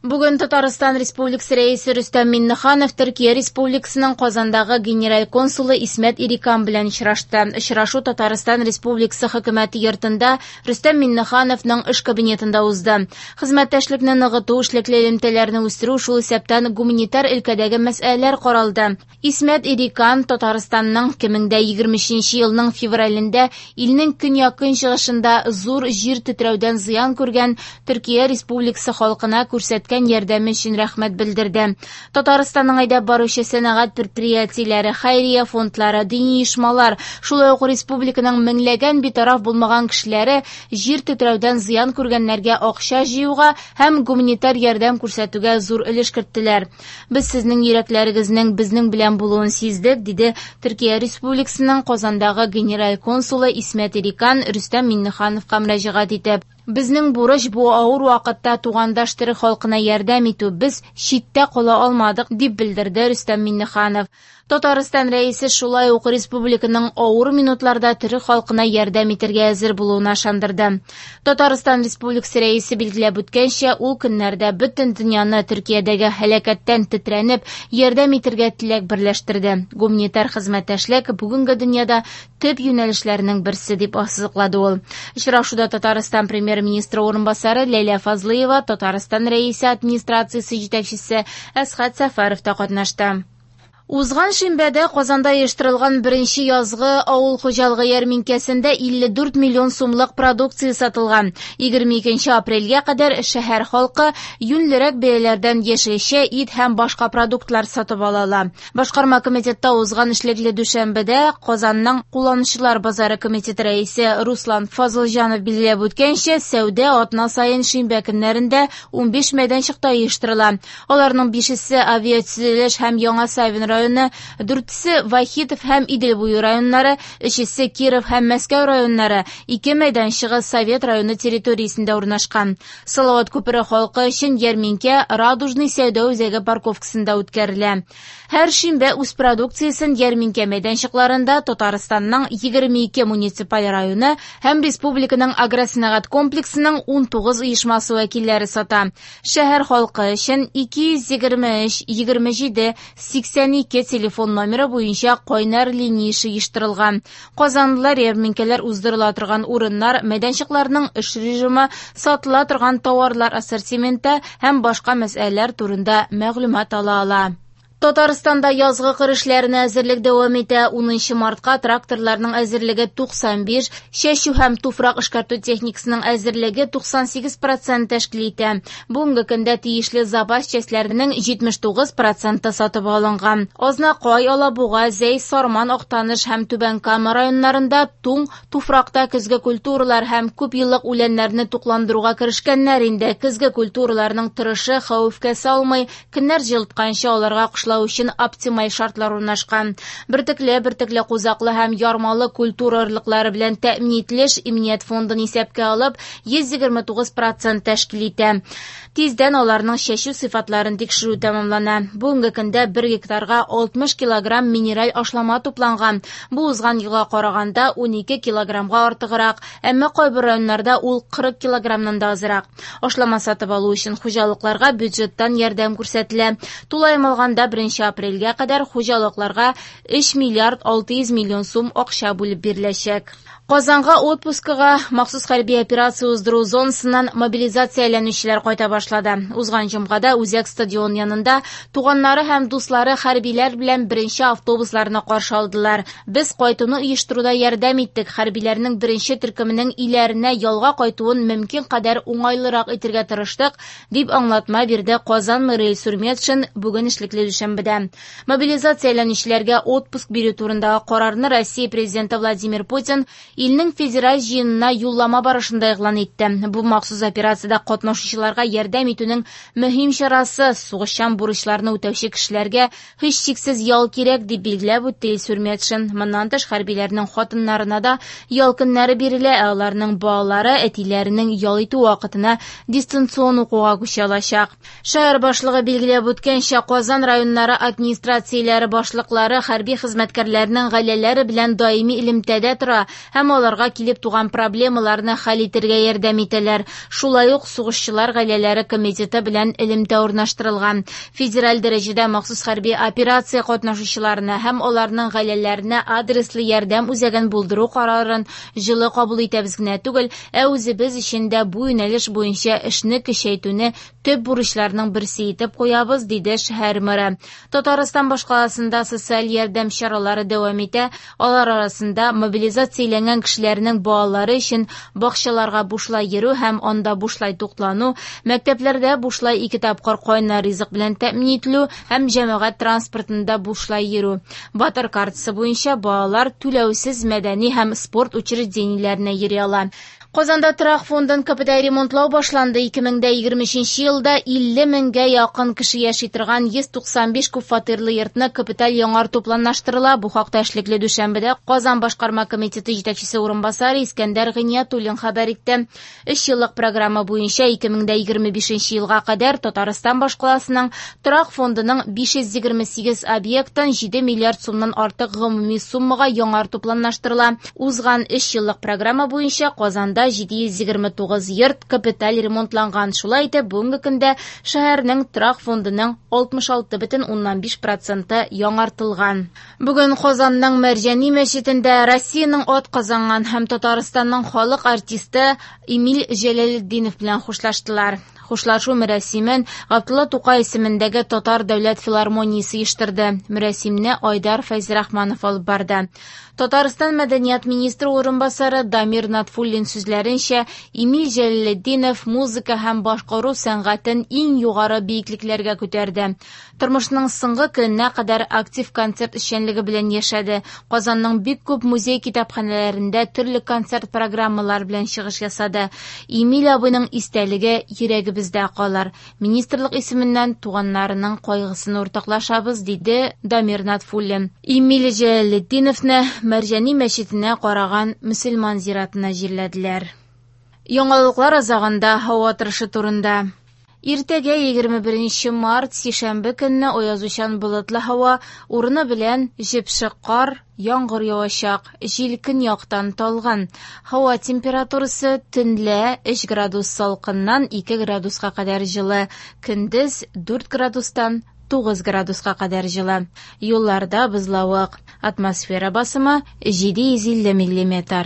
Бүген Татарстан Республикасы Рәисе Рөстәм Миңнеханов Төркия Республикасының Казандагы генераль консулы Исмәт Ирикан белән очрашты. Очрашу Татарстан Республикасы Хөкүмәте йортында Рөстәм Миңнехановның эш кабинетында узды. Хезмәттәшлекне ныгыту, эшлекле элемтәләрне үстерү, шул исәптән гуманитар өлкәдәге мәсьәләләр каралды. Исмәт Ирикан Татарстанның 2023 елның февралендә илнең көньяк-көнчыгышында зур җир тетрәүдән зыян күргән Төркия Республикасы халкына күрсәткән ярдәме өчен рәхмәт белдерде. Татарстанның әйдәп баручы сәнәгать предприятиеләре, хәйрия фондлары, дини оешмалар, шулай ук республиканың меңләгән битараф булмаган кешеләре җир тетрәүдән зыян күргәннәргә акча җыюга һәм гуманитар ярдәм күрсәтүгә зур өлеш керттеләр. Без сезнең йөрәкләрегезнең безнең белән булуын сиздек, диде Төркия Республикасының Казандагы генераль консулы Исмәт Ирикан Рөстәм Миңнехановка мөрәҗәгать итеп. Безнең бурыч бу авыр вакытта тугандаш төрек халкына ярдәм итү. Без читтә кала алмадык, дип белдерде Рөстәм Миңнеханов. Татарстан рәисе шулай ук республиканың авыр минутларда төрек халкына ярдәм итәргә әзер булуына ышандырды. Татарстан Республикасы рәисе билгеләп үткәнчә, ул көннәрдә бөтен дөньяны Төркиядәге һәлакәттән тетрәнеп, ярдәм итәргә теләк берләштерде. Гуманитар хезмәттәшлек бүгенге дөньяда төп юнәлешләрнең берсе, дип ассызыклады ул. Очрашуда Татарстан премьер-министры урынбасары Ләйлә Фазлыева, Татарстан рәисе администрациясе җитәкчесе Әсхәт Сәфәров та катнашты. Узган шимбәдә Казанда оештырылган беренче язгы авыл хуҗалыгы ярминкәсендә 54 миллион сумлык продукция сатылган. 22 апрельгә кадәр шәһәр халкы юньлерәк бәяләрдән яшелчә, ит һәм башка продуктлар сатып ала ала. Башкарма комитетта узган эшлекле дүшәмбедә Казанның кулланучылар базары комитеты рәисе Руслан Фазылҗанов билгеләп үткәнчә, сәүдә атна саен шимбә көннәрендә 15 мәйданчыкта оештырыла. Аларның 5-се авиатөзелеш һәм Яңа Савин районы, 4-се Вахитов һәм Идел буе районнары, 3-се Киров һәм Мәскәү районнары, 2 мәйданчыгы Совет районы территориясендә урнашкан. Салават күпере халкы өчен ярминкә Радужный сәүдә үзәге парковкасында үткәрелә. Һәр шимбә үз продукциясен ярминкә мәйданчыкларында Татарстанның 22 муниципаль районы һәм республиканың агросәнәгать комплексының 19 оешмасы вәкилләре сата. Шәһәр халкы өчен 223 27 82 телефон номеры буенча кайнар линия эше оештырылган. Казанлылар ярминкәләр уздырыла торган урыннар, мәйданчыкларның эш режимы, сатыла торган тауарлар ассортименты һәм башка мәсьәләләр турында мәгълүмат ала ала. Татарстанда язгы кыр эшләренә әзерлек дәвам итә. 10 мартка тракторларның әзерлеге 95, чәчү һәм туфрак эшкәртү техникасының әзерлеге 98% тәшкил итә. Бүгенге көндә тиешле запас частьләренең 79% сатып алынган. Азнакай, Алабуга, Зәй, Сарман, Актаныш һәм Түбән Кама районнарында туң туфракта көзге культуралар һәм күп еллык үләннәрне тукландыруга керешкәннәр инде. Көзге культураларның торышы хәвефкә салмый, көннәр җылытканчы аларга кышлау өчен оптималь шартлар урнашкан. Бөртекле, бөртекле кузаклы һәм ярмалы культура орлыклары белән тәэмин ителеш иминият фондын исәпкә алып 129% тәшкил итә. Тиздән аларның чәчү сыйфатларын тикшерү тәмамлана. Бүгенге көндә 1 гектарга 60 килограмм минераль ашлама тупланган. Бу узган елга караганда 12 килограммга артыграк, әмма кайбер районнарда ул 40 килограммнан да азрак. Ашлама сатып алу өчен хуҗалыкларга бюджеттан ярдәм күрсәтелә. Тулаем алганда 1 апрельгә кадәр хуҗалыкларга 3 миллиард 600 миллион сум акча бүлеп биреләчәк. Казанга отпускыга махсус хәрби операция уздыру зонасыннан мобилизацияләнүчеләр кайта башлады. Узган җомгада Үзәк стадион янында туганнары һәм дуслары хәрбиләр белән беренче автобусларны каршы алдылар. Без кайтуны оештыруда ярдәм иттек. Хәрбиләрнең беренче төркеменең өйләренә ялга кайтуын мөмкин кадәр уңайлырак итәргә тырыштык, дип аңлатма бирде Казан мэры Илсур Метшин бүген эшлекле дүшәмбедә. Мобилизацияләнүчеләргә отпуск бирү турындагы карарны Россия президенты Владимир Путин илнең федераль җыенына юллама барышында игълан итте. Бу махсус операциядә катнашучыларга ярдәм итүнең мөһим чарасы, сугышчан бурычларны үтәүче кешеләргә һичшиксез ял кирәк, дип билгеләп үтте Илсур Метшин. Моннан тыш хәрбиләрнең хатыннарына да ял көннәре бирелә, ә аларның балалары әтиләренең ял итү вакытына дистанцион укуга күчә алачак. Шәһәр башлыгы билгеләп үткәнчә, Казан районнары администрацияләре башлыклары хәрби хезмәткәрләрнең гаиләләре белән даими элемтәдә тора һәм һәм аларга килеп туган проблемаларны хәл итәргә ярдәм итәләр. Шулай ук сугышчылар гаиләләре комитеты белән элемтә урнаштырылган. Федераль дәрәҗәдә махсус хәрби операция катнашучыларына һәм аларның гаиләләренә адреслы ярдәм үзәген булдыру карарын җылы кабул итәбез генә түгел, ә үзебез өчен дә бу юнәлеш буенча эшне көчәйтүне төп бурычларның берсе итеп куябыз, диде шәһәр мэры. Татарстан башкаласында социаль ярдәм чаралары дәвам итә. Алар арасында мобилизацияләнгән кешеләрнең балалары өчен бакчаларга бушлай йөрү һәм анда бушлай туклану, мәктәпләрдә бушлай 2 тапкыр кайнар ризык белән тәэмин ителү һәм җәмәгать транспортында бушлай йөрү. Батыр картасы буенча балалар түләүсез мәдәни һәм спорт учреждениеләренә йөри ала. Казанда торак фондын капиталь ремонтлау башланды. 2023 елда 50 меңгә якын кеше яши торган 195 күп фатирлы йортны капиталь яңарту планлаштырыла. Бу хакта эшлекле дүшәмбедә Казан башкарма комитеты җитәкчесе урынбасары Искәндәр Гыйниятуллин хәбәр итте. 3 еллык программа буенча 2025 елга кадәр Татарстан башкаласының торак фондының 528 объектын 7 миллиард сумнан артык гомуми суммага яңарту планлаштырыла. Узган 3 еллык программа буенча Казанда 729 йорт капиталь ремонтланган. Шулай итеп, бүгенге көндә шәһәрнең торак фондының 66,5% яңартылган. Бүген Казанның Мәрҗани мәчетендә Россиянең ат казанган һәм Татарстанның халык артисты Эмиль Җәләлетдинов белән хушлаштылар. Хушлашу мәрасимен Габдулла Тукай исемендәге Татар дәүләт филармониясе оештырды. Мәрасимне Айдар Фәйзрахманов алып барды. Татарстан мәдәният министры урынбасары Дамир Натфуллин сүзләренчә, Эмиль Җәләлетдинов музыка һәм башкару сәнгатен иң югары биеклекләргә күтәрде. Тормышның соңгы көненә кадәр актив концерт эшчәнлеге белән яшәде. Казанның бик күп музей китапханәләрендә төрле концерт программалары белән чыгыш ясады. Эмиль абыйның истәлеге йөрәгебездә калыр. Министрлык исеменнән туганнарының кайгысын уртаклашабыз, диде Дамир Натфуллин. Эмиль Җәләлетдиновны Мәрҗани мәчетенә караган мөселман зиратына җирләделәр. Яңалыклар азагында һава торышы турында. Иртәгә 21 март, сишәмбе көнне аязучан болытлы һава, урыны белән җепшек кар, яңгыр явачак, җил көньяктан талгын. Һава температурасы төнлә 3 градус салкыннан 2 градуска кадәр җылы, көндез 4 градустан 9 градуска кадәр җылы. Юлларда бозлавык. Атмосфера басымы 750 миллиметр.